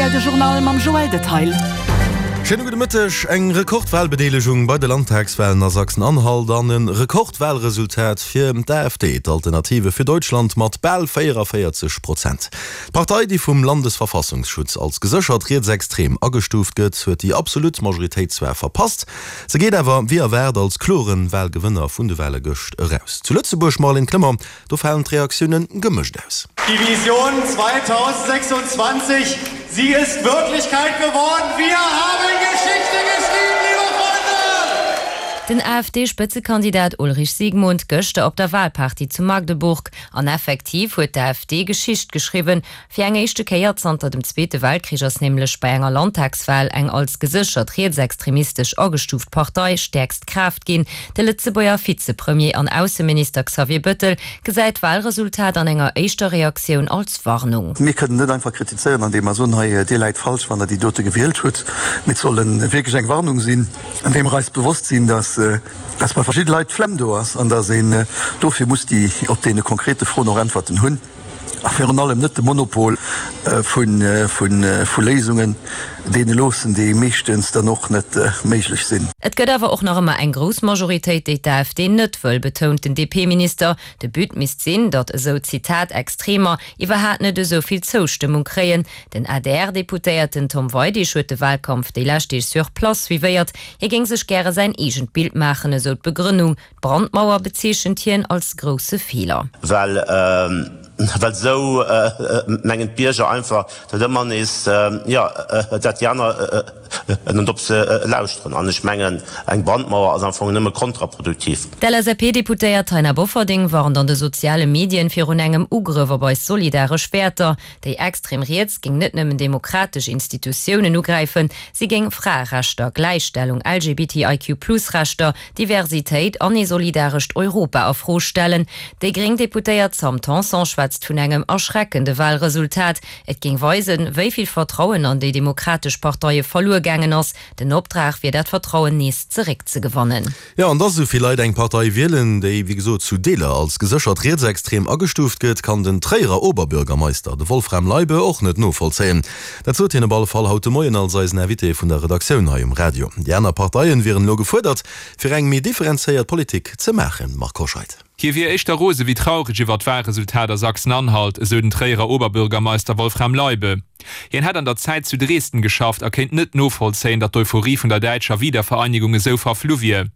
rtl de Journal mam Joël Detail. Schéine gudde Mëtteg. Eng Rekordwalbedeelegung bei de Landtagswalen a Sachsen-Anhalt an e Rekordwalresultat fir d'AfD, d'Alternative für Deutschland, mat bal 44 Prozent. D'Partei, déi vum Landesverfassungsschutz als geséchert rietsextrem agestuuft gëtt, huet déi absolut Majoritéit zwar verpasst, se geet awer wéi erwaart als klore Walgewënner vun de Wale gëscht eraus. Zu Lëtzebuerg, Marlène Clement, Do falen d'Reaktioune gemëscht aus. Die Vision 2026, sie ist Wirklichkeit geworden. Wir haben Geschichte geschrieben, liebe Freunde! Den AfD-Spëtzekandidat Ulrich Siegmund gëschter op der Wahlparty zu Magdeburg. An effektiv huet d'AfD Geschicht geschriwwen. Fir eng éischte Kéier zanter dem Zweete Weltkrich ass nämlech bei enger Landtagswal eng als geséchert rietsextremistesch agestuuft Partei stäerkst Kraaft ginn. De Lëtzebuerger Vizepremier an Ausseminister Xavier Bëttel gesäit d'Walresultat an enger éischter Reaktioun als Warnung. Mir kënnen net einfach kritizéieren, andeem mer soen, hei Dir läit falsch, wann Der déi dote gewielt hutt. Mee et soll wierklech eng Warnung sinn, andeem mer eis bewosst sinn, dass dass bei verschidde Leit d'Flemm do ass an dass een dofir muss déi op deene konkrete Froen och Äntwerten hunn. A virun allem net de Monopol vu Léisungen deene loossen, déi meeschtens dann och net méiglech sinn. Et gëtt awer och nach ëmmer eng grouss Majoritéit, déi d'AfD net wëll, betount den DP-Minister. De But misst sinn, datt esou, Zitat, Extremer iwwerhaat net esou vill Zoustëmmung kréien. Den ADR-Deputéierten Tom Weidig huet de Wahlkampf déi lescht Deeg sur place suivéiert. Hie géing sech gäre säin eegent Bild maachen, esou d'Begrënnung. D'Brandmauer bezeechent hien als grousse Feeler. Well well esou mengen d'Bierger einfach, datt ëmmer nees, jo, dat déi aner net op se lauschteren. An ech mengen, eng Brandmauer ass am Fong nëmme kontraproduktiv. D'LSAP-Deputéiert Taina Bofferding warnt an de soziale Medien virun engem Ugrëff op eis solidaresch Wäerter. Déi extrem Riets géing net nëmmen demokratesch Institutiounen ugräifen, si géing Fraerechter, Gläichstellung, LGBTIQ-Plus-Rechter, Diversitéit an ee solidarescht Europa a Fro stellen. Déi gréng Deputéiert Sam Tanson schwätzt vun engem erschreckende Walresultat. Et géing weisen, wéi vill Vertrauen an déi demokratesch Parteie verluer gaangen ass. Den Optrag wier dat Vertrauen nees zeréckzegewannen. Jo, an dass esou vill Leit eng Partei wielen, déi, wéi gesot, zu Deeler als geséchert rietsextrem agestuuft gëtt, kann den Tréierer Oberbürgermeister, de Wolfram Leibe, och net novollzéien. Dat sot hien op alle Fall haut de Moien als eisen Invité vun der Redaktioun hei um Radio. Déi aner Parteien wieren elo gefuerdert, fir eng méi differenzéiert Politik ze maachen. Marc Hoscheid. Hie wier éischter rose wéi traureg iwwer d'Walresultat a Sachsen-Anhalt, esou den Tréierer Oberbürgermeister Wolfram Leibe. Hien hätt an der Zäit zu Dresden geschafft a kéint net novollzéien, datt d'Euphorie vun der däitscher Wiedervereinigung esou verflu wier.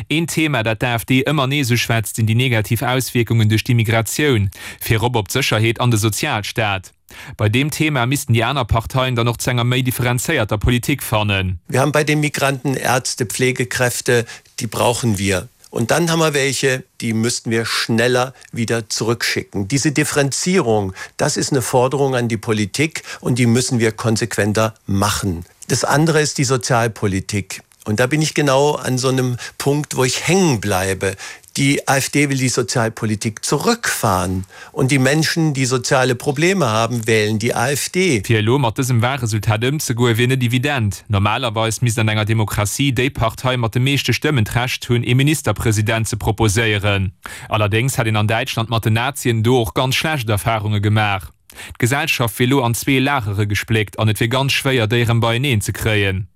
Een Thema, dat d'AfD ëmmer nees uschwätzt, sinn déi negativ Auswierkungen duerch d'Immigratioun, virop op d'Sécherheet an de Sozialstaat. Bei deem Thema missten déi aner Parteien dann och zu enger méi differenzéierter Politik fannen. Wir haben bei den Migranten Ärzte, Pflegekräfte, die brauchen wir. Und dann haben wir welche, die müssten wir schneller wieder zurückschicken. Diese Differenzierung, das ist eine Forderung an die Politik und die müssen wir konsequenter machen. Das andere ist die Sozialpolitik. Und da bin ich genau an so einem Punkt, wo ich hängen bleibe. Die AfD will die Sozialpolitik zurückfahren und die Menschen, die soziale Probleme haben, wählen die AfD. Fir elo mat dësem Wahlresultat ëmzegoen, wier net evident. Normalerweis misst an enger Demokratie déi Partei mat de meeschte Stëmmen d'Recht hunn, ee Ministerpresident ze proposéieren. Allerdéngs hätt een an Däitschland mat den Nazien do och ganz schlecht Erfarunge gemaach. D'Gesellschaft wier elo an zwee Lagere gespléckt an et wier ganz schwéier, déi erëm beieneen ze kréien.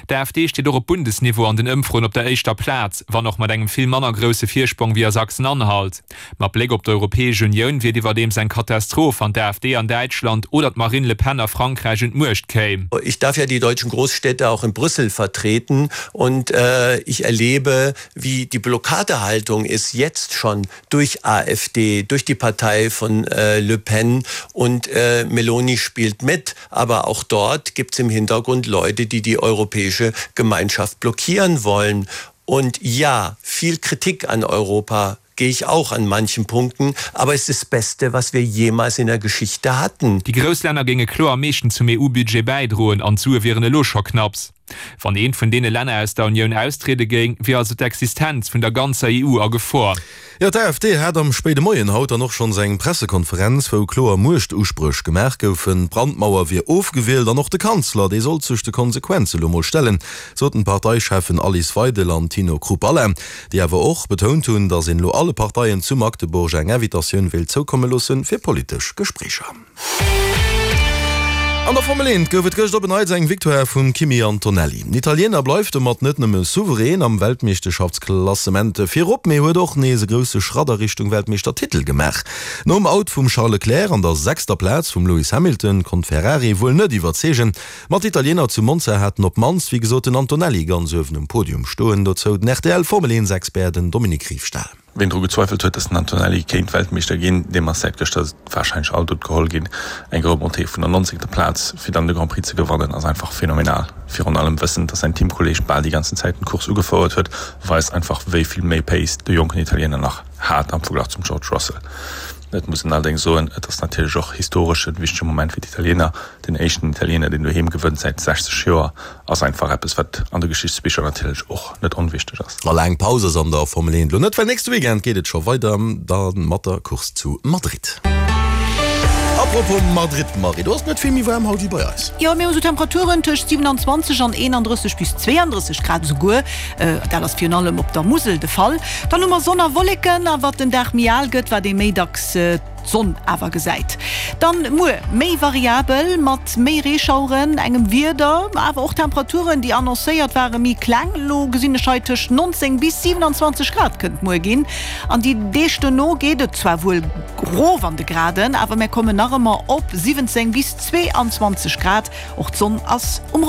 D'AfD steet och op Bundesniveau an den Ëmfroen op der éischter Plaz, wann och mat engem vill manner grousse Virsprong wéi a Sachsen-Anhalt. Mat Bléck op d'Europäesch Unioun wier et iwwerdeems eng Katastroph, wann d'AfD an Däitschland oder d'Marine Le Pen a Frankräich un d'Muecht kéim. Ich darf ja die deutschen Großstädte auch in Brüssel vertreten und ich erlebe, wie die Blockadehaltung ist jetzt schon durch AfD, durch die Partei von Le Pen und Meloni spielt mit. Aber auch dort gibt es im Hintergrund Leute, die die europäische Gemeinschaft blockieren wollen. Und ja, viel Kritik an Europa gehe ich auch an manchen Punkten, aber es ist das Beste, was wir jemals in der Geschichte hatten. Déi grouss Länner géinge kloer am meeschten zum EU-Budget bäidroen an d'Sue wieren elo scho knapps. Wann eent vun deene Länner aus der Unioun austriede géing, wier also d'Existenz vun der ganzer EU a Gefor. Jo, d'AfD hat am spéide Moien haut dann och schonns eng Pressekonferenz, wou kloer Muechtuspréch gemaach goufen. D'Brandmauer wier ofgewielt an och de Kanzler, dee sollt sech de Konsequenze lo mol stellen, soten d'Parteicheffen Alice Weidel an Tino Chrupalla, déi awer och betount hunn, datt een elo alle Parteien zu Magdeburg eng Invitatioun wéilt zoukomme loosse fir politesch Gespréicher. An der Formel 1 gouf et gëscht op en Neits eng Victoire vum Kimi Antonelli. Den Italiener bleift domat net nëmme souverän am Weltmeeschterschaftsklassement virop, mee huet och nees e grousse Schratt a Richtung Weltmeeschtertitel gemaach. Nom Out vum Charles Leclerc an der sechster Plaz vum Lewis Hamilton konnt Ferrari wuel net iwwerzeegen, ma d'Italiener zu Monza haten op d'mannst, wéi gesot, den Antonelli ganz uewen um Podium stoen. Dozou den RTL-Formel- 1-Expert, den Dominique Riefstahl. Ween dru gezweifelt huet, dass den Antonelli kéint Weltmeeschter ginn, deem ass säit gëschter warscheinlech all Doute geholl ginn. Eng Remontée vun der 19. Plaz fir dann de Grand Prix ze gewannen ass einfach phänomenal. Virun allem wëssend, dass säin Teamkolleeg bal déi ganzen Zäit den Course ugefouert huet, weist einfach wéi vill méi Pace de jonken Italiener nach hat am Verglach zum George Russell. Et muss een allerdéngs soen, et ass natierlech och historesch en wichtege Moment fir d'Italiener. Den éischten Italiener, deen doheem gewënnt säit 60 Joer, ass einfach eppes, wat an de Geschichtsbicher natierlech och net onwichteg ass. A laang Paus ass an der Formel 1 elo net, well nächste Weekend geet et scho weider, da mat der Course zu Madrid. Apropos Madrid, Marie, do ass et net vill méi waarm haut wéi bei eis. Jo, mir hu sou Temperaturen tëscht 27 an 31 bis 32 Grad esouguer. Dat ass virun allem op der Musel de Fall. Dann hu mer Sonn a Wolleken, a wat den Dag méi al gëtt, wat ee méi dacks d'Sonn awer gesäit. Dann muer méi variabel mat méi Reeschaueren, engem Wieder, awer och Temperaturen déi annoncéiert ware méi kleng. Elo gesinn ech hei tëscht 19 bis 27 Grad kënnt muer ginn an déi Deeg dono geet et zwar wuel rof an de Graden, awer mär kommen nach ëmmer op 17 bis 22 Grad. Och d'Sonn ass um.